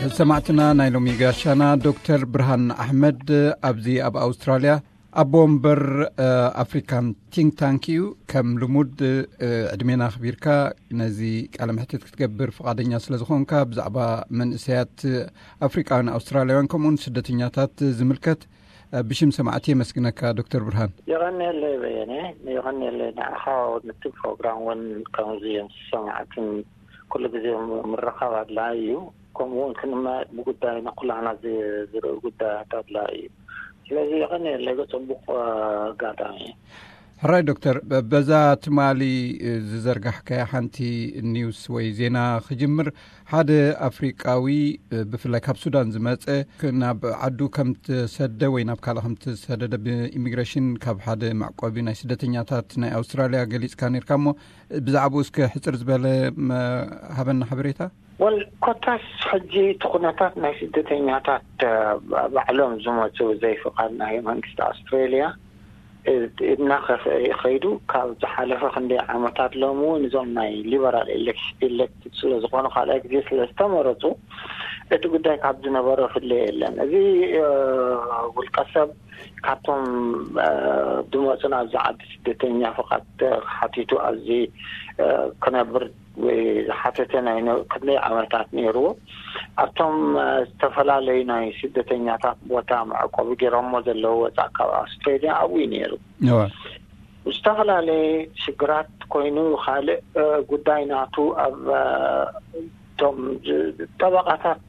ሰማዕትና፣ ናይ ሎሚ ጋሻና ዶክተር ብርሃን ኣሕመድ ኣብዚ ኣብ ኣውስትራልያ ኣቦ ወንበር ኣፍሪካን ቲንክ ታንክ እዩ። ከም ልሙድ ዕድሜና ኣኽቢርካ ነዚ ቃለ መሕትት ክትገብር ፍቓደኛ ስለ ዝኾንካ፣ ብዛዕባ መንእሰያት ኣፍሪቃውያን ኣውስትራልያውያን ከምኡውን ስደተኛታት ዝምልከት ብሽም ሰማዕቲ የመስግነካ ዶክተር ብርሃን። የቐንየለይ በየነ። የቐንየለይ ንዓኻ። ነቲ ፕሮግራም እውን ከምዚ ሰማዕትን ኩሉ ግዜ ምርኻብ ኣድላይ እዩ። ከምኡ እውን ክንመ ብጉዳይ ንኩላህና ዝርኢ ጉዳያት ኣድላይ እዩ። ስለዚ የቐንየለይ፣ ጽቡቕ ኣጋጣሚ። ሕራይ ዶክተር፣ በዛ ትማሊ ዝዘርጋሕካያ ሓንቲ ኒውስ ወይ ዜና ክጅምር፣ ሓደ ኣፍሪቃዊ ብፍላይ ካብ ሱዳን ዝመጸ ናብ ዓዱ ከም ትሰደ ወይ ናብ ካልእ ከም ትሰደደ ብኢሚግሬሽን ካብ ሓደ መዕቆቢ ናይ ስደተኛታት ናይ ኣውስትራልያ ገሊጽካ ነርካ። እሞ ብዛዕባኡ እስከ ሕጽር ዝበለ ሃበና ሓበሬታ። ወል ኮታስ ሕጂ እቲ ኩነታት ናይ ስደተኛታት ባዕሎም ዝመፁ ዘይፍቓድ ናይ መንግስቲ ኣውስትሬልያ እናኸፍአ ይኸይዱ። ካብ ዝሓለፈ ክንደይ ዓመታት ሎም እውን እዞም ናይ ሊበራል ኤሌክትድ ስለ ዝኾኑ ካልኣይ ግዜ ስለ ዝተመረፁ እቲ ጉዳይ ካብ ዝነበሮ ፍለ የለን። እዚ ውልቀሰብ ካብቶም ድመፁን ኣብዚ ዓዲ ስደተኛ ፍቓድ ሓቲቱ ኣብዚ ክነብር ዝሓተተ ናይ ክንደይ ዓመታት ነይርዎ። ኣብቶም ዝተፈላለዩ ናይ ስደተኛታት ቦታ መዕቆቢ ገይሮሞ ዘለዉ ወፃእ ካብ ኣውስትሬልያ ኣብኡ እዩ ነይሩ። ዝተፈላለየ ሽግራት ኮይኑ ካልእ ጉዳይ ናቱ ኣብ እቶም ጠበቃታት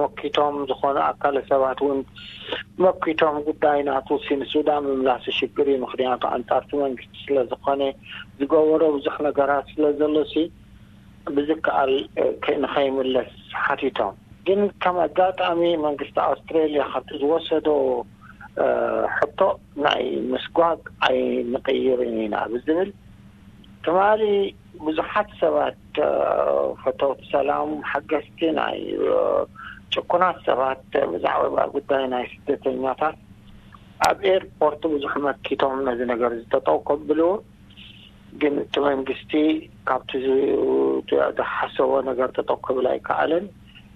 መኪቶም ዝኾኑ ኣካለ ሰባት እውን መኪቶም ጉዳይ ናቱ ሲ ንሱዳን ምምላስ ሽግር እዩ። ምክንያቱ ኣንጻርቲ መንግስቲ ስለ ዝኾነ ዝገበሮ ብዙሕ ነገራት ስለ ዘሎ ሲ ብዝከኣል ንኸይምለስ ሓቲቶም። ግን ከም ኣጋጣሚ መንግስቲ ኣውስትሬልያ ካብቲ ዝወሰዶ ሕቶ ናይ ምስጓግ ኣይንቕይርን ኢና ብዝብል ትማሊ ብዙሓት ሰባት ፈተውቲ ሰላም ሓገዝቲ ናይ ጭኩናት ሰባት ብዛዕባ ጉዳይ ናይ ስደተኛታት ኣብ ኤርፖርት ብዙሕ መኪቶም ነዚ ነገር ዝተጠው ከብልዎ ግን እቲ መንግስቲ ካብቲ ዝሓሰቦ ነገር ተጠው ክብል ኣይከኣለን።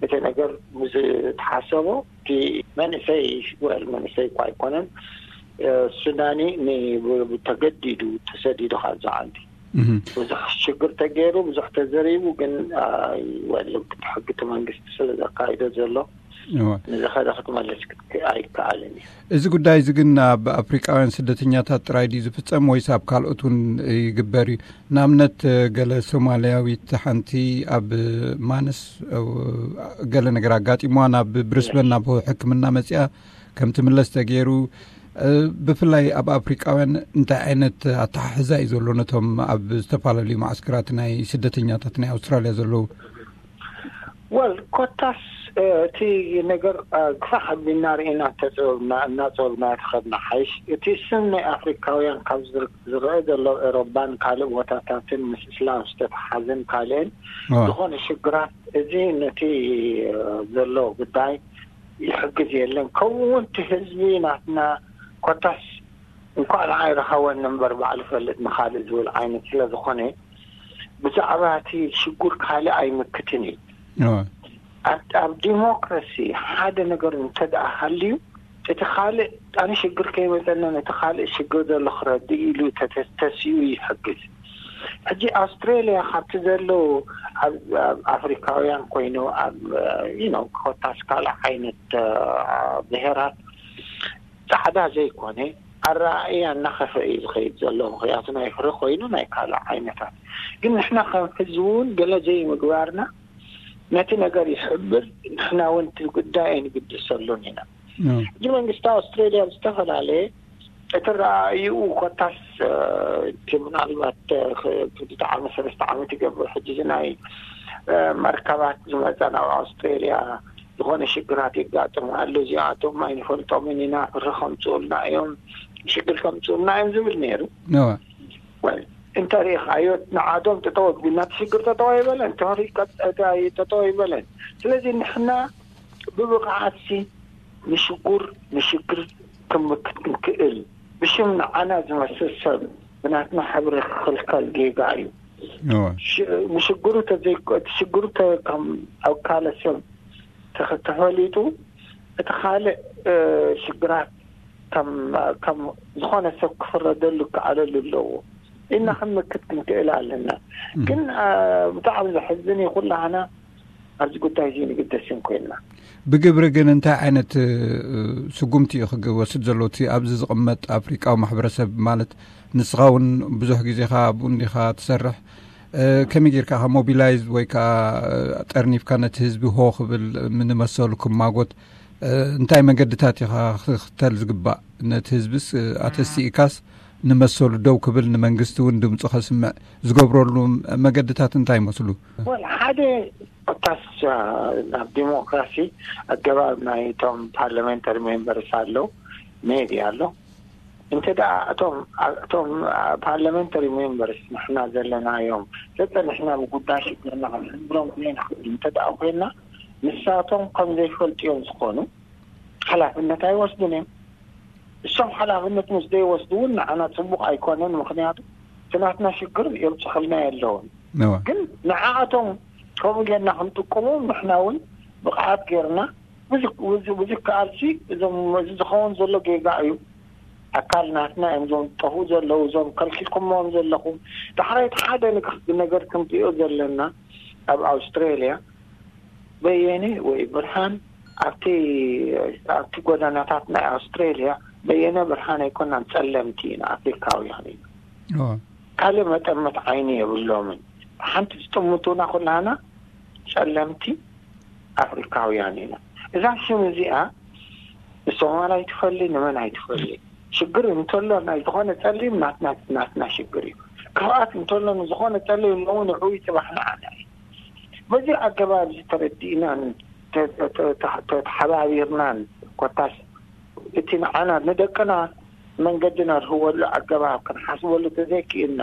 እቲ ነገር ምስ ተሓሰቦ እቲ መንእሰይ ወል መንእሰይ እኳ ኣይኮነን ሱዳኒ ተገዲዱ ተሰዲዱ ካብዚ ዓዲ ብዙሕ ሽግር ተገይሩ ብዙሕ ተዘሪቡ ግን ወል ሕጊ እቲ መንግስቲ ስለ ዘካይዶ ዘሎ ንዝኸደ ክትመልስ ኣይከኣልን እዩ። እዚ ጉዳይ እዚ ግን ኣብ ኣፍሪቃውያን ስደተኛታት ጥራይ ድዩ ዝፍጸም ወይስ ኣብ ካልኦት እውን ይግበር እዩ? ንኣብነት ገለ ሶማልያዊት ሓንቲ ኣብ ማነስ ገለ ነገር ኣጋጢምዋ ናብ ብሪስበን ናብ ሕክምና መጺኣ ከም ትምለስ ተገይሩ። ብፍላይ ኣብ ኣፍሪቃውያን እንታይ ዓይነት ኣተሓሕዛ እዩ ዘሎ ነቶም ኣብ ዝተፈላለዩ ማዕስከራት ናይ ስደተኛታት ናይ ኣውስትራልያ ዘለዉ? ወል ኮታስ እቲ ነገር ግፋሕ ኣቢልና ርኢና እናፀበብና እናፀበብና ተኸድና ሓይሽ እቲ ስም ናይ ኣፍሪካውያን ካብ ዝረአ ዘሎ ኤሮባን ካልእ ቦታታትን ምስ እስላም ዝተተሓዘን ካልእን ዝኾነ ሽግራት እዚ ነቲ ዘሎ ጉዳይ ይሕግዝ የለን። ከምኡ እውን እቲ ህዝቢ ናትና ኮታስ እንኳዕ ንዓይ ረኸበኒ እምበር ባዕሉ ፈልጥ ንኻልእ ዝብል ዓይነት ስለ ዝኾነ ብዛዕባ እቲ ሽጉር ካልእ ኣይምክትን እዩ። ኣብ ዲሞክራሲ ሓደ ነገር እንተ ደኣ ሃልዩ እቲ ካልእ ኣነ ሽግር ከይመፀና ነቲ ካልእ ሽግር ዘሎ ክረድእ ኢሉ ተተሲኡ ይሕግዝ። ሕጂ ኣውስትሬልያ ካብቲ ዘለዉ ኣብ ኣፍሪካውያን ኮይኑ ኣብ ኮታስ ካልእ ዓይነት ብሄራት ጻዕዳ ዘይኮነ ኣረኣእያ እናኸፈ እዩ ዝኸይድ ዘሎ። ምክንያቱ ናይ ፍረ ኮይኑ ናይ ካልእ ዓይነታት ግን ንሕና ከም ህዝቢ እውን ገለ ዘይምግባርና ነቲ ነገር ይሕብር። ንሕና እውን እቲ ጉዳይ ኣይንግድሰሉን ኢና። ሕጂ መንግስቲ ኣውስትሬልያ ዝተፈላለየ እቲ ረኣይኡ ኮታስ እቲ ምናልባት ክልተ ዓመት ሰለስተ ዓመት ይገብር ሕጂ እዚ ናይ መርከባት ዝመፀ ናብ ኣውስትሬልያ ዝኾነ ሽግራት የጋጥም ኣሎ እዚኣቶም ኣይንፈልጦምን ኢና ፍሪ ከምፅኡልና እዮም ሽግር ከምፅኡልና እዮም ዝብል ነይሩ። እንተ ሪኢኻዮ ንዓዶም ጠጠው ኣቢልና እቲ ሽግር ጠጠው ኣይበለን ተሪቀ ጠጠው ኣይበለን። ስለዚ ንሕና ብብቕዓትሲ ንሽጉር ንሽግር ክምክት ክንክእል ብሽም ንዓና ዝመስል ሰብ ብናትና ሕብሪ ክኽልከል ጌጋ እዩ። ንሽግሩ ተዘይኮ እቲ ሽግሩ ከም ኣውካለ ሰብ ተኸ- ተፈሊጡ እቲ ካልእ ሽግራት ከም ዝኾነ ሰብ ክፍረደሉ ክዓለሉ ኣለዎ ኢልና ክንምክት ክንክእል ኣለና። ግን ብጣዕሚ ዘሕዝን እዩ። ኩላህና ኣብዚ ጉዳይ እዚ ንግደስን ኮይንና። ብግብሪ ግን እንታይ ዓይነት ስጉምቲ እዩ ክወስድ ዘሎ? እቲ ኣብዚ ዝቕመጥ ኣፍሪቃዊ ማሕበረሰብ ማለት ንስኻ እውን ብዙሕ ግዜኻ ኣብኡ እንዲኻ ትሰርሕ፣ ከመይ ጌርካ ሞቢላይዝ ወይ ከዓ ጠርኒፍካ ነቲ ህዝቢ ሆ ክብል ንመሰሉ ክማጎት እንታይ መገድታት ኢኻ ክትክተል ዝግባእ? ነቲ ህዝብስ ኣተሲእካስ ንመሰሉ ደው ክብል ንመንግስቲ እውን ድምፁ ከስምዕ ዝገብረሉ መገድታት እንታይ ይመስሉ? ወል ሓደ ኮታስ ኣብ ዲሞክራሲ ኣገባብ ናይቶም ፓርላሜንታሪ ሜምበርስ ኣሎ፣ ሜዲ ኣሎ። እንተ ደኣ እቶም እቶም ፓርላሜንታሪ ሜምበርስ ንሕና ዘለናዮም ዘጸንሕና ብጉዳይ ሽግርና ክንሕብሮም ዘይንኽእል እንተ ደኣ ኮይና፣ ንሳቶም ከም ዘይፈልጡ እዮም ዝኾኑ፣ ሓላፍነት ኣይወስዱን እዮም። እሶም ሓላፍነት ምስ ዘይወስዱ እውን ንዓና ጽቡቕ ኣይኮነን። ምኽንያቱ እቲ ናትና ሽግር የብጽኸልና የለውን። ግን ንዓኣቶም ከምኡ ጌርና ክንጥቀሞም ንሕና እውን ብቕዓት ጌርና ብዙ ብዙ ብዙ ከኣልሲ እዞም እዚ ዝኸውን ዘሎ ጌጋ እዩ። ኣካል ናትና እዮም እዞም ጠፍኡ ዘለዉ፣ እዞም ከልኪልኩሞም ዘለኹም። ዳሕራይ እቲ ሓደ ንክ- ነገር ክንሪኦ ዘለና ኣብ ኣውስትራልያ በየነ ወይ ብርሃን ኣብቲ ኣብቲ ጎዳናታት ናይ ኣውስትራልያ በየነ ብርሃን ኣይኮናን፣ ጸለምቲ ኢና፣ ኣፍሪካውያን ኢና። ካልእ መጠመት ዓይኒ የብሎምን። ሓንቲ ዝጥምቱና ኩላና ጸለምቲ ኣፍሪካውያን ኢና። እዛ ሽም እዚኣ ንሶማል ኣይትፈሊ፣ ንመን ኣይትፈሊ። ሽግር እንተሎ ናይ ዝኾነ ጸሊም ናትና ናትና ሽግር እዩ። ክፍኣት እንተሎ ንዝኾነ ጸሊም ሎሚ ንዕኡ እዩ፣ ጽባሕ ንዓና እዩ። በዚ ኣገባብ እዚ ተረዲእናን ተ- ተ- ተ- ተሓባቢርናን ኮታስ እቲ ንዓና ንደቅና መንገዲ ነርህወሉ ኣገባብ ክንሓስበሉ ተዘይክእልና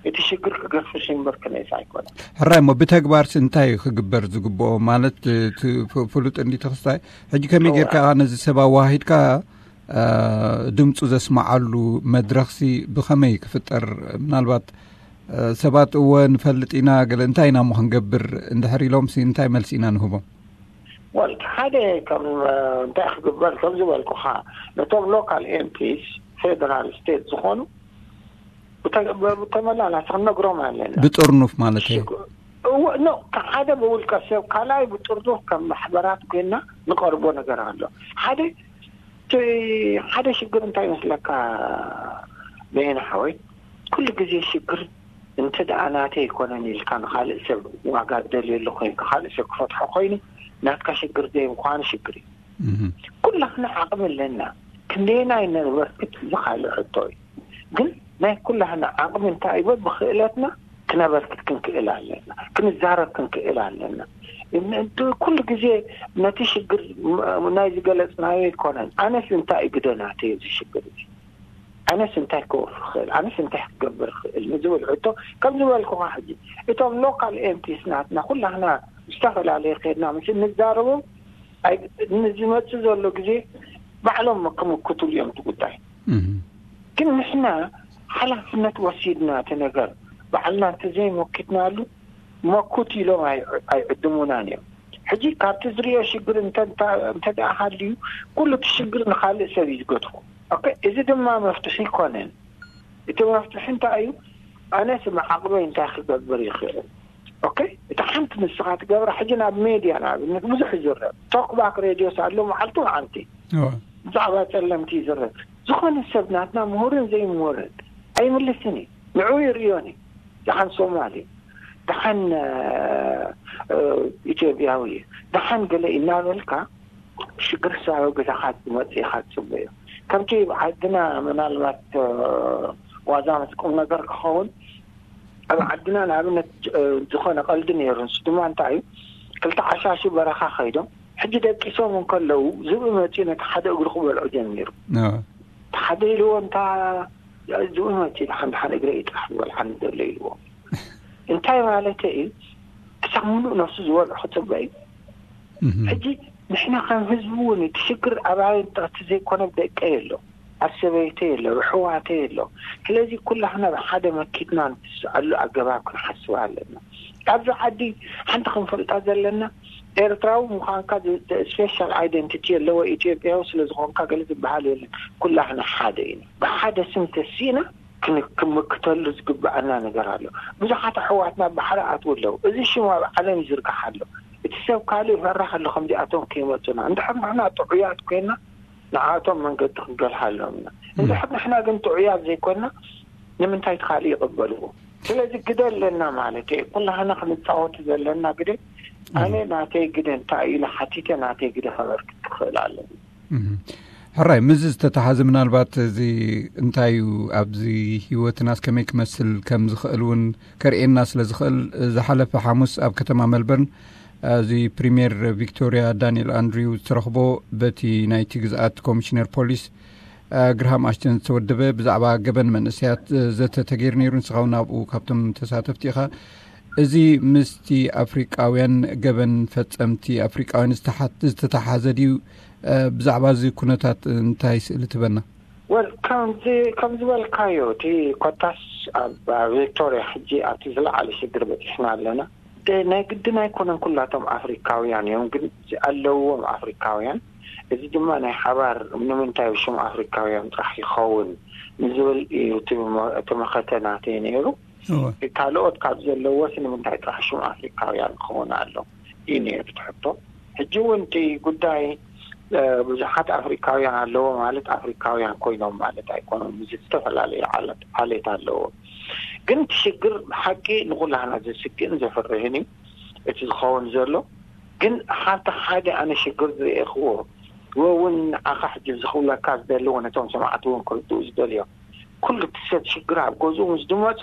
እቲ ሽግር ክገፍሽ እምበር ክነይስ ኣይኮነን። ሕራይ እሞ ብተግባርሲ እንታይ ክግበር ዝግብኦ? ማለት እቲ ፍ- ፍሉጥ እንዲ ተኽስታይ ሕጂ ከመይ ጌርካ ነዚ ሰብ ኣዋሂድካ ድምፁ ዘስምዓሉ መድረኽሲ ብኸመይ ክፍጠር? ምናልባት ሰባት እወ ንፈልጥ ኢና ገለ እንታይ ኢና እሞ ክንገብር እንድሕር ኢሎምሲ እንታይ መልሲ ኢና ንህቦም? ወል ሓደ ከም እንታይ ክግበር ከም ዝበልኩኻ ነቶም ሎካል ኤምፒስ ፌደራል ስቴት ዝኾኑ ብተ- ብተመላላሲ ክንነግሮም ኣለና። ብጥርኑፍ ማለት እዩ። ሽግ- እወ፣ ኖ፣ ሓደ ብውልቀ ሰብ ካልኣይ ብጥርኑፍ ከም ማሕበራት ኮይና ንቐርቦ ነገር ኣሎ። ሓደ እቲ ሓደ ሽግር እንታይ ይመስለካ በየነ ሓወይ? ኩሉ ግዜ ሽግር እንተ ደኣ ናተይ ኣይኮነን ኢልካ ንኻልእ ሰብ ዋጋ ትደልየሉ ኮይንካ ካልእ ሰብ ክፈትሖ ኮይኑ ናትካ ሽግር ዘይምዃኑ ሽግር እዩ። ኩላህና ዓቕሚ ኣለና። ክንደየናይ ነበርክት እዚ ካልእ ሕቶ እዩ። ግን ናይ ኩላህና ዓቕሚ እንታይ እዩ? በብክእለትና ክነበርክት ክንክእል ኣለና፣ ክንዛረብ ክንክእል ኣለና። ኩሉ ግዜ ነቲ ሽግር ናይ ዝገለፅናዮ ኣይኮነን። ኣነስ እንታይ እዩ ግደ ናተይ እዚ ሽግር እዚ? ኣነስ እንታይ ክወፍ ክእል? ኣነስ እንታይ ክገብር ክእል ንዝብል ሕቶ ከም ዝበልኩኻ ሕጂ እቶም ሎካል ኤምፒስ ናትና ኩላህና ዝተፈላለየ ከድና ምስ እንዛረቦም ንዝመፅእ ዘሎ ግዜ ባዕሎም ክምክቱሉ እዮም እቲ ጉዳይ። ግን ንሕና ሓላፍነት ወሲድና እቲ ነገር ባዕልና እንተዘይመኪትናሉ መኩት ኢሎም ኣይዕድሙናን እዮም። ሕጂ ካብቲ ዝሪኦ ሽግር እንተ ደኣ ሃልዩ ኩሉ እቲ ሽግር ንካልእ ሰብ እዩ ዝገድፎ። እዚ ድማ መፍትሒ ይኮነን። እቲ መፍትሒ እንታይ እዩ? ኣነስ ብዓቕመይ እንታይ ክገብር ይኽእል? ኦኬ፣ እቲ ሓንቲ ንስኻ ትገብራ ሕጂ ናብ ሜድያ ንኣብነት ብዙሕ ይዝረብ። ቶክባክ ሬድዮስ ኣሎ መዓልቲ መዓልቲ ብዛዕባ ጸለምቲ ይዝረብ። ዝኾነ ሰብ ናትና ምሁርን ዘይምሁርን ኣይምልስን እዩ። ንዕኡ ይርእዮን እዩ። ደሓን ሶማሊ፣ ደሓን ኢትዮጵያዊ፣ ደሓን ገለ እናበልካ ሽግር ሳበ ገዛኻ ዝመጽእ ኢኻ ትጽበዮ። ከምቲ ዓድና ምናልባት ዋዛ ምስ ቁም ነገር ክኸውን ኣብ ዓድና ንኣብነት ዝኾነ ቀልዲ ነይሩ። ንሱ ድማ እንታይ እዩ? ክልተ ዓሻሹ በረኻ ከይዶም ሕጂ ደቂሶም እንከለዉ ዝብኢ መፂኡ ነቲ ሓደ እግሩ ክበልዖ ጀሚሩ። ሓደ ኢልዎ እንታ ዝብኢ መፂኡ ሓንቲ ሓደ እግረ ይጥራሕ ዝበልዓኒ ዘሎ ኢልዎ። እንታይ ማለት እዩ? ክሳብ ሙሉእ ነፍሱ ዝበልዖ ክፅበ እዩ። ሕጂ ንሕና ከም ህዝቢ እውን እቲ ሽግር ኣባይ ጥቕቲ ዘይኮነ ደቀ የሎ ኣብ ሰበይተ የሎ ብሕዋተ የሎ። ስለዚ ኩላህና ብሓደ መኪትና ንትስኣሉ ኣገባብ ክንሓስብ ኣለና። ኣብዚ ዓዲ ሓንቲ ክንፈልጣ ዘለና ኤርትራዊ ምዃንካ ስፔሻል ኣይደንቲቲ ኣለዎ። ኢትዮጵያዊ ስለዝኾንካ ገለ ዝበሃል የለን። ኩላህና ሓደ ኢና። ብሓደ ስም ተሲእና ክምክተሉ ዝግብኣና ነገር ኣሎ። ብዙሓት ኣሕዋትና ባሕሪ ኣትው ኣለዉ። እዚ ሽም ኣብ ዓለም ይዝርጋሕ ኣሎ። እቲ ሰብ ካልእ ይፈርሕ ኣሎ። ከምዚኣቶም ከይመፁና እንድሕር ንሕና ጥዑያት ኮይና ንዓቶም መንገዲ ክንገልሃሎም ኢና። እንድሕር ንሕና ግን ጥዑያት ዘይኮና ንምንታይ እቲ ካልእ ይቕበልዎ? ስለዚ ግደ ኣለና ማለት እየ። ኩላህና ክንፃወቱ ዘለና ግደ። ኣነ ናተይ ግደ እንታይ ኢለ ሓቲተ ናተይ ግደ ከበርክት ክኽእል ኣለኒ። ሕራይ፣ ምስዚ ዝተተሓዘ ምናልባት እዚ እንታይ እዩ ኣብዚ ህይወትናስ ከመይ ክመስል ከም ዝኽእል እውን ከርእየና ስለ ዝኽእል፣ ዝሓለፈ ሓሙስ ኣብ ከተማ መልበርን እዚ ፕሪምየር ቪክቶሪያ ዳንኤል ኣንድሪው ዝተረኽቦ በቲ ናይቲ ግዝኣት ኮሚሽነር ፖሊስ ግርሃም ኣሽተን ዝተወደበ ብዛዕባ ገበን መንእሰያት ዘተ ተገይሩ ነይሩ። ንስኻ እውን ኣብኡ ካብቶም ተሳተፍቲ ኢኻ። እዚ ምስቲ ኣፍሪቃውያን ገበን ፈጸምቲ ኣፍሪቃውያን ዝተሓት- ዝተተሓዘ ድዩ? ብዛዕባ እዚ ኩነታት እንታይ ስእሊ ትበና? ወል ከም ዝበልካዮ እቲ ኮታስ ኣብ ቪክቶሪያ ሕጂ ኣብቲ ዝለዓለ ሽግር በፂሕና ኣለና። ናይ ግድን ኣይኮነን ኩላቶም ኣፍሪካውያን እዮም፣ ግን ኣለዎም ኣፍሪካውያን። እዚ ድማ ናይ ሓባር ንምንታይ ሽም ኣፍሪካውያን ጥራሕ ይኸውን ንዝብል እዩ እቲ መኸተ ናተይ ነይሩ። ካልኦት ካብ ዘለዎስ ንምንታይ ጥራሕ ሽም ኣፍሪካውያን ክኸውን ኣሎ እዩ ነይሩ ትሕቶ። ሕጂ እውን እቲ ጉዳይ ብዙሓት ኣፍሪካውያን ኣለዎ ማለት ኣፍሪካውያን ኮይኖም ማለት ኣይኮኖም። እዚ ዝተፈላለዩ ዓሌት ኣለዎ። ግን እቲ ሽግር ብሓቂ ንኩላህና ዘስግእን ዘፍርህን እዩ እቲ ዝኸውን ዘሎ። ግን ሓብቲ ሓደ ኣነ ሽግር ዝርእኽዎ ወውን ንዓኻ ሕጂ ዝኽብለካ ዝደልዎ ነቶም ሰማዕቲ እውን ክርድኡ ዝደልዮም ኩሉ እቲ ሰብ ሽግር ኣብ ገዝኡ ምስ ዝመፆ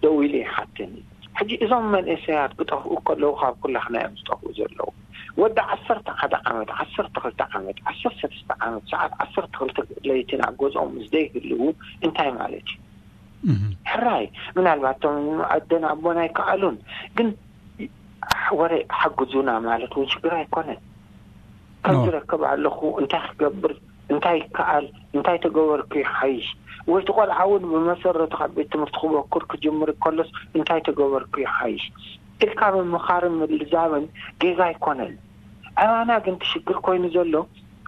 ደው ኢሉ ይሓትን። ሕጂ እዞም መንእሰያት ክጠፍኡ ከለዉ ካብ ኩላህና እዮም ዝጠፍኡ ዘለዉ። ወዲ ዓሰርተ ሓደ ዓመት፣ ዓሰርተ ክልተ ዓመት፣ ዓሰርተ ሰለስተ ዓመት፣ ሰዓት ዓሰርተ ክልተ ለይቲ ናብ ገዝኦም ምስ ዘይህልዉ እንታይ ማለት እዩ? ሕራይ ምናልባት እቶም ኣደን ኣቦን ኣይከኣሉን፣ ግን ወረ ሓግዙና ማለት እውን ሽግር ኣይኮነን። ከም ዝረክብ ኣለኹ እንታይ ክገብር እንታይ ይከኣል እንታይ ተገበርኩ ይሓይሽ ወይ እቲ ቆልዓ እውን ብመሰረቱ ካብ ቤት ትምህርቲ ክበኩር ክጅምር ከሎስ እንታይ ተገበርኩ ይሓይሽ ኢልካ ምምኻርን ምልዛብን ጌጋ ኣይኮነን። ኣባና ግን እቲ ሽግር ኮይኑ ዘሎ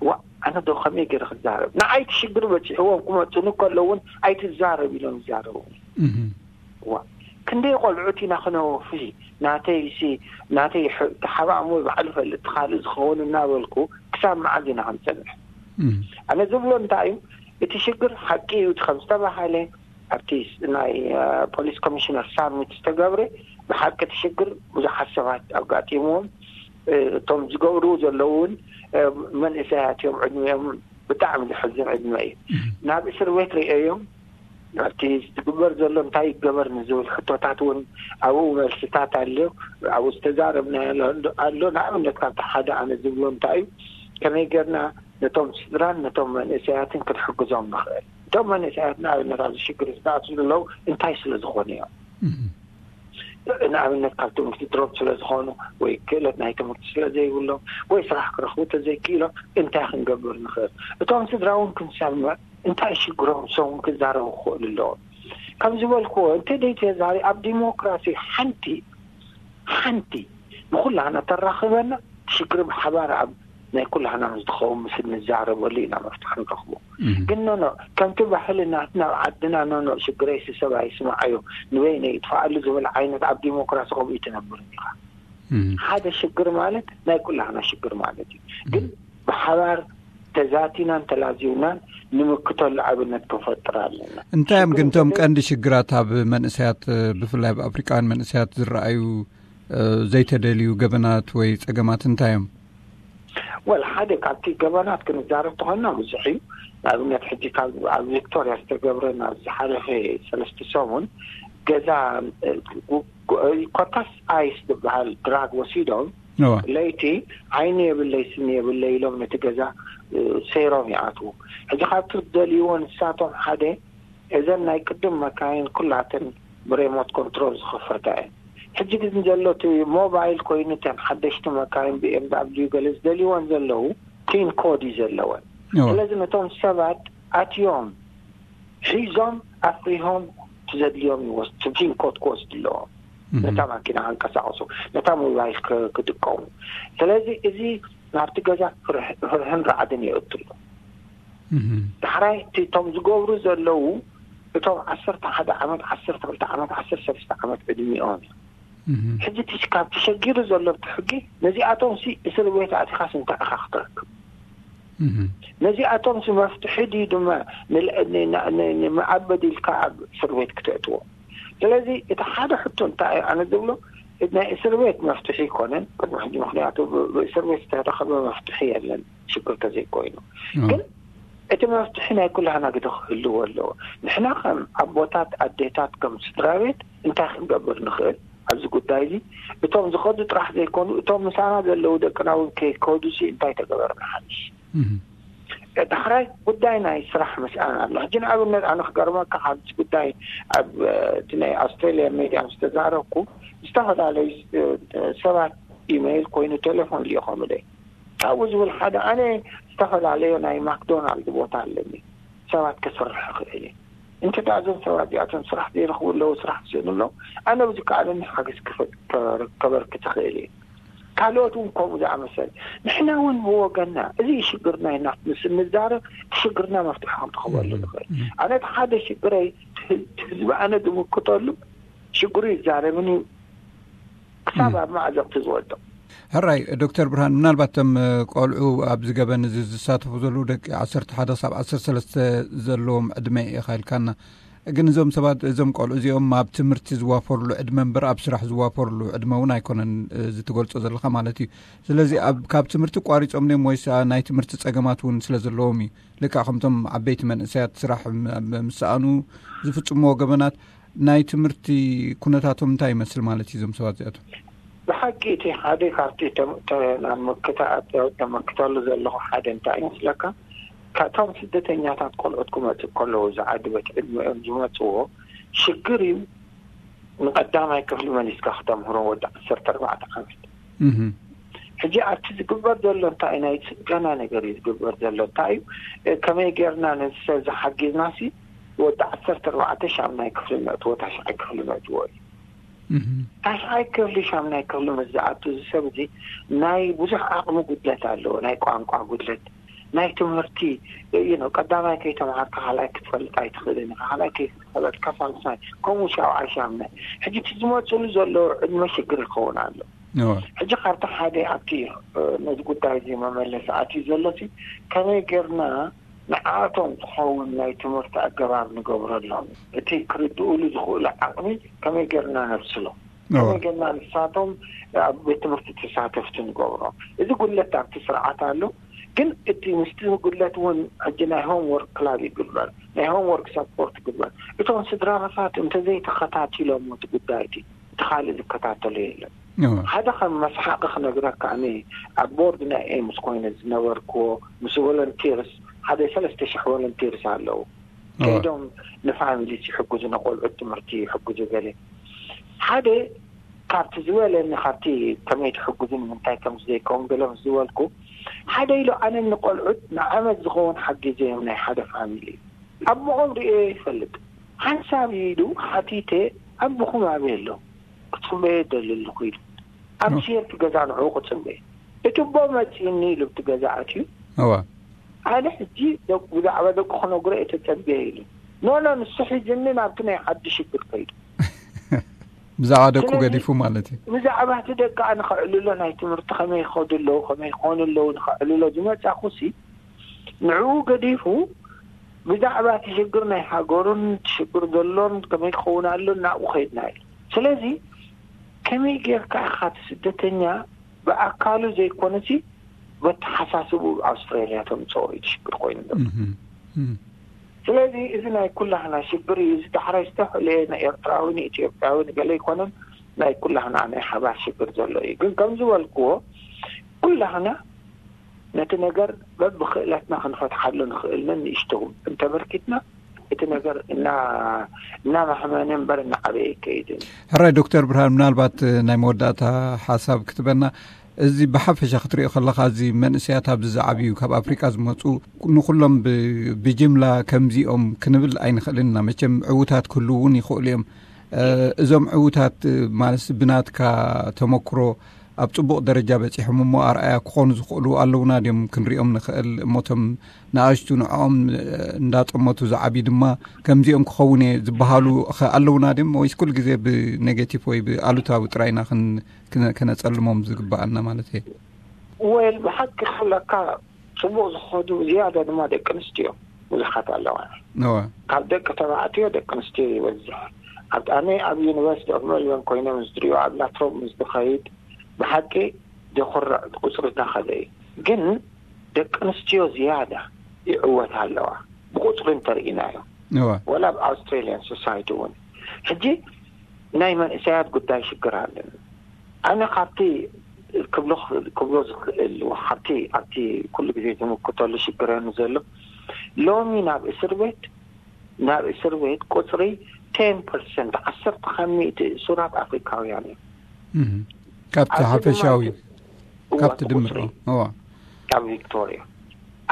ዋ ኣነ ዶ ከመይ ገይረ ክዛረብ ንዓይ እቲ ሽግር በፂሕዎም ክመፁኒ ከለውን ኣይትዛረብ ኢሎም ይዛረቡ። ዋ ክንደይ ቆልዑት ኢና ክነወፊ ናተይ ሲ ናተይ ተሓባእሞ ባዕሉ ፈልጥ ካልእ ዝኸውን እናበልኩ ክሳብ መዓዝ ኢና ክንፀንሕ? ኣነ ዝብሎ እንታይ እዩ እቲ ሽግር ሓቂ እዩ እቲ ከም ዝተባሃለ ኣብቲ ናይ ፖሊስ ኮሚሽነር ሳሚት ዝተገብረ ብሓቂ እቲ ሽግር ብዙሓት ሰባት ኣጋጢምዎም እቶም ዝገብሩ ዘለዉ እውን መንእሰያት እዮም ዕድሚኦም ብጣዕሚ ዘሕዝን ዕድመ እዩ። ናብ እስር ቤት ርእዮም ኣብቲ ዝግበር ዘሎ እንታይ ይገበር ንዝብል ሕቶታት እውን ኣብኡ መልስታት ኣሎ። ኣብኡ ዝተዛረብና ኣሎ። ንኣብነት ካብቲ ሓደ ኣነ ዝብሎ እንታይ እዩ ከመይ ገርና ነቶም ስድራን ነቶም መንእሰያትን ክንሕግዞም ንኽእል። እቶም መንእሰያት ንኣብነት ኣብዚ ሽግር ዝኣትሉ ዘለዉ እንታይ ስለ ዝኾኑ እዮም? ንኣብነት ካብ ትምህርቲ ድሮብ ስለ ዝኾኑ ወይ ክእለት ናይ ትምህርቲ ስለ ዘይብሎም ወይ ስራሕ ክረኽቡ ተዘይክኢሎም እንታይ ክንገብር ንኽእል? እቶም ስድራ እውን ክንሰምዕ እንታይ ሽግሮም ሰውን ክዛረቡ ክኽእሉ ኣለዎም። ከም ዝበልክዎ እንተ ደይ ተዛሪ ኣብ ዲሞክራሲ ሓንቲ ሓንቲ ንኩላህና ተራኽበና ሽግር ብሓባር ኣብ ናይ ኩላህና ምስ ዝኸውን ምስ እንዛረበሉ ኢና መፍትሒ ንረኽቦ። ግን ኖኖ ከምቲ ባህሊ ናትና ኣብ ዓድና ኖኖ ሽግረይ ስሰብ ኣይስማዓዮ ንበይነ ይጥፋኣሉ ዝብል ዓይነት ኣብ ዲሞክራሲ ከምኡ ይትነብር ኢኻ። ሓደ ሽግር ማለት ናይ ኩላህና ሽግር ማለት እዩ። ግን ብሓባር ተዛቲናን ተላዚውናን ንምክተሉ ኣብነት ክንፈጥር ኣለና። እንታይ እዮም ግን እቶም ቀንዲ ሽግራት ኣብ መንእሰያት ብፍላይ ኣብ ኣፍሪቃውያን መንእሰያት ዝረኣዩ ዘይተደልዩ ገበናት ወይ ጸገማት እንታይ እዮም? ወል ሓደ ካብቲ ገበናት ክንዛረብ ተኾንና ብዙሕ እዩ። ንኣብነት ሕጂ ካብ ኣብ ቪክቶሪያ ዝተገብረ ናብ ዝሓለፈ ሰለስተ ሰሙን ገዛ ኮታስ ኣይስ ዝበሃል ድራግ ወሲዶም ለይቲ ዓይኒ የብለይ ስኒ የብለይ ኢሎም ነቲ ገዛ ሰይሮም ይኣትዉ። ሕጂ ካብቲ ዝደልይዎ ንሳቶም ሓደ እዘን ናይ ቅድም መካይን ኩላተን ብሬሞት ኮንትሮል ዝኸፈታ እየን። ሕጂ ግን ዘሎ እቲ ሞባይል ኮይኑ እተን ሓደሽቲ መካይን ቢኤምዳብሊዩ ገለ ዝደልይወን ዘለዉ ፒን ኮድ እዩ ዘለወን። ስለዚ ነቶም ሰባት ኣትዮም ሒዞም ኣፍሪሆም ትዘድልዮም ይወስድ ፒን ኮድ ክወስድ ኣለዎም። ነታ ማኪና ከንቀሳቐሱ፣ ነታ ሞባይል ክ- ክጥቀሙ። ስለዚ እዚ ናብቲ ገዛ ፍርህ- ፍርህን ራዕድን የእቱ ኣሎ። ዳሕራይ እቲ እቶም ዝገብሩ ዘለዉ እቶም ዓሰርተ ሓደ ዓመት፣ ዓሰርተ ክልተ ዓመት፣ ዓሰርተ ሰለስተ ዓመት ዕድሚኦም እዮም። ሕጂ እቲ ካብ ተሸጊሩ ዘሎ እቲ ሕጊ ነዚኣቶም ሲ እስር ቤት ኣቲኻስ እንታይ ኢኻ ክትረክብ? ነዚኣቶም ሲ መፍትሒ ድዩ ድማ ንል- ን- ን- ን- ንመኣበዲ ኢልካ ኣብ እስር ቤት ክተእትዎ? ስለዚ እቲ ሓደ ሕቶ እንታይ እዩ ኣነ ዝብሎ፣ ናይ እስር ቤት መፍትሒ ኣይኮነን ቅድሚ ሕጂ፣ ምክንያቱ ብ- ብእስር ቤት ዝተረኸበ መፍትሒ የለን ሽግር ተዘይኮይኑ። ግን እቲ መፍትሒ ናይ ኩላህና ግደ ክህልዎ ኣለዎ። ንሕና ከም ኣቦታት ኣዴታት ከም ስድራ ቤት እንታይ ክንገብር ንኽእል ኣብዚ ጉዳይ እዚ? እቶም ዝኸዱ ጥራሕ ዘይኮኑ እቶም ምሳና ዘለዉ ደቅና እውን ከይከዱ ሲ እንታይ ተገበርና ሓይሽ? ዳሕራይ ጉዳይ ናይ ስራሕ ምስኣን ኣሎ። ሕጂ ንኣብነት ኣነ ክገርመካ፣ ሓንቲ ጉዳይ ኣብ እቲ ናይ ኣውስትራልያ ሜድያ ምስ ተዛረብኩ፣ ዝተፈላለዩ ሰባት ኢሜይል ኮይኑ ቴሌፎን ልኢኾምለይ። ካብኡ ዝብል ሓደ ኣነ ዝተፈላለዩ ናይ ማክዶናልድ ቦታ ኣለኒ ሰባት ክሰርሕ ክእል እየ። እንተ ደኣ እዞም ሰባት እዚኣቶም ስራሕ ዘይረኽቡ ኣለዉ፣ ስራሕ ዝስእኑ ኣለዉ፣ ኣነ ብዝከኣለኒ ሓገዝ ክፈ- ከበርክት ክእል እየ። ካልኦት እውን ከምኡ ዝኣመሰል። ንሕና እውን ብወገንና እዚ ሽግርና ኢና ምስ እንዛረብ እቲ ሽግርና መፍትሒ ክንረኽበሉ ንኽእል። ኣነ እቲ ሓደ ሽግረይ እቲ ህዝቢ ኣነ ዝምክተሉ ሽግሩ ይዛረብን እዩ ክሳብ ኣብ ማዕዘቕቲ ዝወድቕ። ሕራይ ዶክተር ብርሃን፣ ምናልባት እቶም ቆልዑ ኣብዚ ገበን እዚ ዝሳተፉ ዘለዉ ደቂ ዓሰርተ ሓደ ክሳብ ዓሰርተ ሰለስተ ዘለዎም ዕድመ ኢኻ ኢልካና። ግን እዞም ሰባት እዞም ቆልዑ እዚኦም ኣብ ትምህርቲ ዝዋፈሩሉ ዕድመ እምበር ኣብ ስራሕ ዝዋፈሩሉ ዕድመ እውን ኣይኮነን፣ እዚ ትገልጾ ዘለኻ ማለት እዩ። ስለዚ ኣብ ካብ ትምህርቲ ቋሪጾም ድዮም ወይስ ናይ ትምህርቲ ጸገማት እውን ስለ ዘለዎም እዩ? ልክዕ ከምቶም ዓበይቲ መንእሰያት ስራሕ ም- ኣብ ምስኣኑ ዝፍጽምዎ ገበናት ናይ ትምህርቲ ኩነታቶም እንታይ ይመስል ማለት እዩ እዞም ሰባት እዚኣቶም? ብሓቂ እቲ ሓደ ካብቲ ተም- ተ- ናብ መክታ- ተመክተሉ ዘለኹ ሓደ እንታይ ይመስለካ? ካብቶም ስደተኛታት ቆልዑት ክመጽእ ከለዉ ዝዓዲ ቤት ዕድመኦም ዝመጽዎ ሽግር እዩ። ንቀዳማይ ክፍሊ መሊስካ ክተምህሮ ወዲ ዓሰርተ ኣርባዕተ ዓመት። ሕጂ ኣብቲ ዝግበር ዘሎ እንታይ እዩ? ናይ ጽገና ነገር እዩ ዝግበር ዘሎ። እንታይ እዩ? ከመይ ጌርና ነዚ ሰብ ዝሓጊዝና ሲ ወዲ ዓሰርተ ኣርባዕተ ሻምናይ ክፍሊ ነእትዎ ታሽዓይ ክፍሊ ነእትዎ እዩ። ታሽዓይ ክፍሊ ሻምናይ ክፍሊ ምስ ዝኣቱ እዚ ሰብ እዚ ናይ ብዙሕ ዓቕሚ ጉድለት ኣለዎ። ናይ ቋንቋ ጉድለት፣ ናይ ትምህርቲ እዩ ነው። ቀዳማይ ከይተምሃርካ ካልኣይ ክትፈልጥ ኣይትኽእልን ኢኻ። ካልኣይ ከይፈለጥካ ሳልሳይ፣ ከምኡ ሻውዓይ ሻምናይ። ሕጂ እቲ ዝመፅሉ ዘሎ ዕድመ ሽግር ይኸውን ኣሎ። ሕጂ ካብቲ ሓደ ኣብቲ ነዚ ጉዳይ እዚ መመለሲ ኣትዩ ዘሎ ሲ ከመይ ጌርና ንዓቶም ዝኸውን ናይ ትምህርቲ ኣገባብ ንገብረሎም፣ እቲ ክርድኡሉ ዝኽእሉ ዓቕሚ ከመይ ጌርና ነብስሎ፣ ከመይ ጌርና ንሳቶም ኣብ ቤት ትምህርቲ ተሳተፍቲ ንገብሮም። እዚ ጉድለት ኣብቲ ስርዓት ኣሎ። ግን እቲ ምስቲ ጉድለት እውን ሕጂ ናይ ሆም ወርክ ክላብ ይግበር። ናይ ሆም ወርክ ሰፖርት ይግበር። እቶም ስድራታት እንተዘይተኸታቲሎም እቲ ጉዳይ እቲ እቲ ካልእ ዝከታተሎ የለን። ሓደ ከም መስሓቂ ክነግረካ፣ ኣነ ኣብ ቦርድ ናይ ኤምስ ኮይነ ዝነበርክዎ ምስ ቮለንቲርስ ሓደ ሰለስተ ሽሕ ቮለንቲርስ ኣለዉ። ከይዶም ንፋሚሊ ይሕግዙ፣ ንቆልዑት ትምህርቲ ይሕግዙ። ገለ ሓደ ካብቲ ዝበለኒ ካብቲ ከመይ ትሕግዙ ንምንታይ ከም ዘይከውን ገለ ምስ ዝበልኩ ሓደ ኢሉ ኣነ ንቆልዑት ንዓመት ዝኸውን ሓጊዘ እዮም ናይ ሓደ ፋሚሊ ኣቦኦም ርእዮ ይፈልጥ። ሓንሳብ ኢሉ ሓቲተ ኣቦኹም ኣበይ ኣሎ? ክጽበዮ ደሊ ኣለኹ ኢሉ ኣብ ሴፍቲ ገዛ ንዕኡ ክጽበ እቲ ኣቦ መጺእኒ ኢሉ ኣብቲ ገዛ ኣትዩ። ኣነ ሕጂ ብዛዕባ ደቁ ክነግሮ እየ ተጸብየ ኢሉ ኖኖ ንሱ ሒዝኒ ናብቲ ናይ ዓዲ ሽግር ከይዱ ብዛዕባ ደቁ ገዲፉ ማለት እዩ። ብዛዕባ እቲ ደቂ ንኸዕልሎ ናይ ትምህርቲ ከመይ ይኸዱ ኣለዉ ከመይ ይኾኑ ኣለዉ ንኸዕልሎ ዝመጻኹ ሲ ንዕኡ ገዲፉ ብዛዕባ እቲ ሽግር ናይ ሃገሩን እቲ ሽግር ዘሎን ከመይ ክኸውን ኣሎ ናብኡ ከይድና እዩ። ስለዚ ከመይ ጌርካ ኢኻ እቲ ስደተኛ ብኣካሉ ዘይኮነሲ በተሓሳስቡ ኣብ ኣውስትራልያ ተምፅኦ እዩ እቲ ሽግር ኮይኑ ዘሎ። ስለዚ እዚ ናይ ኩላህና ሽግር እዩ። እዚ ዳሕራይ ዝተፈለየ ንኤርትራዊ ንኢትዮጵያዊ ንገለ ኣይኮነን፣ ናይ ኩላህና ናይ ሓባር ሽግር ዘሎ እዩ። ግን ከም ዝበልክዎ ኩላህና ነቲ ነገር በብክእለትና ክንፈትሓሉ ንኽእል ነን ንእሽተው እንተበርኪትና እቲ ነገር እና እናማህመነ እምበር እናዓበየ ይከይድን። ሕራይ ዶክተር ብርሃን፣ ምናልባት ናይ መወዳእታ ሓሳብ ክትበና፣ እዚ ብሓፈሻ ክትሪኦ ከለኻ እዚ መንእሰያት ኣብዚ ዝዓብዩ ካብ ኣፍሪቃ ዝመፁ ንኩሎም ብ- ብጅምላ ከምዚኦም ክንብል ኣይንኽእልን ኢና። መቸም ዕዉታት ክህልው እውን ይኽእሉ እዮም። እዞም ዕውታት ማለት ብናትካ ተመክሮ ኣብ ጽቡቕ ደረጃ በጺሖም እሞ ኣርኣያ ክኾኑ ዝኽእሉ ኣለውና ድዮም ክንሪኦም ንኽእል? እሞቶም ንኣሽቱ ንዕኦም እንዳጠመቱ ዝዓብዩ ድማ ከምዚኦም ክኸውን እየ ዝበሃሉ ኸ ኣለውና ድዮም? ወይስ ኩሉ ግዜ ብኔጌቲቭ ወይ ብኣሉታዊ ጥራይና ክን- ክነ- ከነጸልሞም ዝግብኣና ማለት እየ? ወል ብሓቂ ክብለካ ጽቡቕ ዝኸዱ ዝያዳ ድማ ደቂ ኣንስትዮ ብዙሓት ኣለዋ። ካብ ደቂ ተባዕትዮ ደቂ ኣንስትዮ ይበዝሕ። ኣብ ኣነ ኣብ ዩኒቨርሲቲ ኦፍ ሜልበርን ኮይኖም ዝድሪዮ ኣብ ላትሮብ ምስ ዝኸይድ ብሓቂ ዘኹርዕ ቁፅሪ እናኸደ እዩ። ግን ደቂ ኣንስትዮ ዝያዳ ይዕወት ኣለዋ ብቁፅሪ እንተርኢናዮ። ወላ ኣብ ኣውስትራሊያን ሶሳይቲ እውን ሕጂ ናይ መንእሰያት ጉዳይ ሽግር ኣለና። ኣነ ካብቲ ክብሎ ዝኽእል ካብቲ ኣብቲ ኩሉ ግዜ ዝምክተሉ ሽግረኒ ዘሎ ሎሚ ናብ እስር ቤት ናብ እስር ቤት ቁፅሪ ቴን ፐርሰንት ዓሰርተ ካብ ሚእቲ እሱራት ኣፍሪካውያን እዮም። ካብቲ ሓፈሻዊ ካብቲ ድምር ኣብ ቪክቶሪያ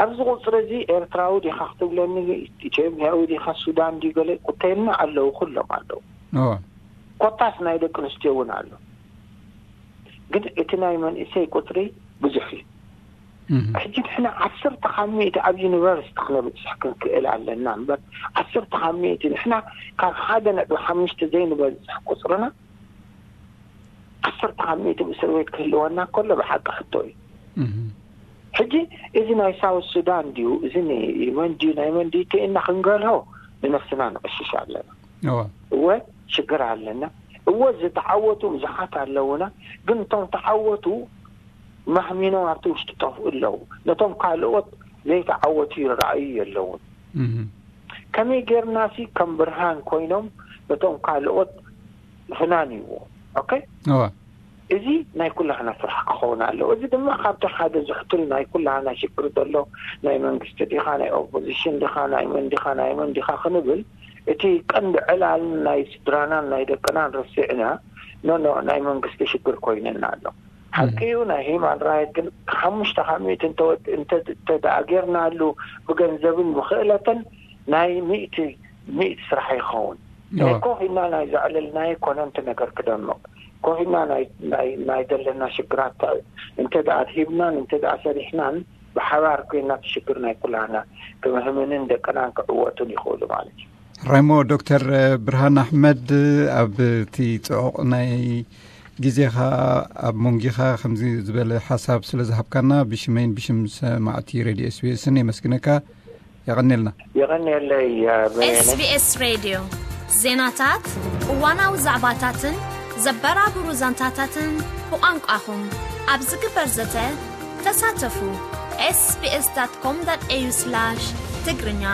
ኣብዚ ቁፅሪ እዚ ኤርትራዊ ዲኻ ክትብለኒ ኢትዮጵያዊ ዲኻ ሱዳን ዲ ገለ ቁተልና ኣለዉ ኩሎም ኣለዉ። ኮታስ ናይ ደቂ ኣንስትዮ እውን ኣሎ። ግን እቲ ናይ መንእሰይ ቁፅሪ ብዙሕ እዩ። ሕጂ ንሕና ዓሰርተ ካብ ሚእቲ ኣብ ዩኒቨርሲቲ ክነብፅሕ ክንክእል ኣለና እምበር ዓሰርተ ካብ ሚእቲ ንሕና ካብ ሓደ ነጥቢ ሓሙሽተ ዘይንበፅሕ ቁፅርና ዓሰርተ ካብ ሚእቲ ብእስር ቤት ክህልወና ከሎ ብሓቂ ሕቶ እዩ። ሕጂ እዚ ናይ ሳውት ሱዳን ድዩ እዚ የመን ድዩ ናይ መን ድዩ ተኢልና ክንገልሆ ንነፍስና ንቕሽሽ ኣለና። እወ ሽግር ኣለና። እወ ዝተዓወቱ ብዙሓት ኣለውና። ግን እቶም ተዓወቱ ማህሚኖም ኣብቲ ውሽጢ ጠፍኡ ኣለዉ። ነቶም ካልኦት ዘይተዓወቱ ይረኣዩ የለውን። ከመይ ጌርና ሲ ከም ብርሃን ኮይኖም ነቶም ካልኦት ፍናንዎ። ኦኬ እዚ ናይ ኩላህና ስራሕ ክኸውን ኣለዎ። እዚ ድማ ካብቲ ሓደ ዝሕቱል ናይ ኩላህና ሽግር ዘሎ ናይ መንግስቲ ዲኻ ናይ ኦፖዚሽን ዲኻ ናይ መን ዲኻ ናይ መን ዲኻ ክንብል እቲ ቀንዲ ዕላል ናይ ስድራናን ናይ ደቅናን ረሲዕና ኖኖ ናይ መንግስቲ ሽግር ኮይነና ኣሎ። ሓቂ እዩ ናይ ሂማን ራይት ግን ሓሙሽተ ካብ ሚእቲ እንተወድ እንተተደኣጌርናሉ ብገንዘብን ብክእለትን ናይ ሚእቲ ሚእቲ ስራሕ ይኸውን። ኮፍ ኢልና ናይ ዘዕለልናዮ ኮነ እንተ ነገር ክደምቕ ኮፍ ኢልና ናይ ዘለና ሽግራት እንተ ደኣ ኣድሂብናን እንተ ደኣ ሰሪሕናን ብሓባር ኮይና እቲ ሽግር ናይ ኩላና ክምህምንን ደቅናን ክዕወቱን ይኽእሉ ማለት እዩ። ራይሞ ዶክተር ብርሃን ኣሕመድ ኣብ እቲ ፅዑቕ ናይ ግዜኻ ኣብ መንጊኻ ከምዚ ዝበለ ሓሳብ ስለ ዝሃብካና ብሽመይን ብሽም ሰማዕቲ ሬድዮ ኤስቢኤስን የመስግነካ። የቐኔልና። የቐኔለይ። ኤስቢኤስ ሬድዮ ዜናታት፣ እዋናዊ ዛዕባታትን ዘበራብሩ ዛንታታትን ብቋንቋኹም ኣብ ዝግበር ዘተ ተሳተፉ። ኤስቢኤስ ዳት ኮም ዳት ኤዩ ስላሽ ትግርኛ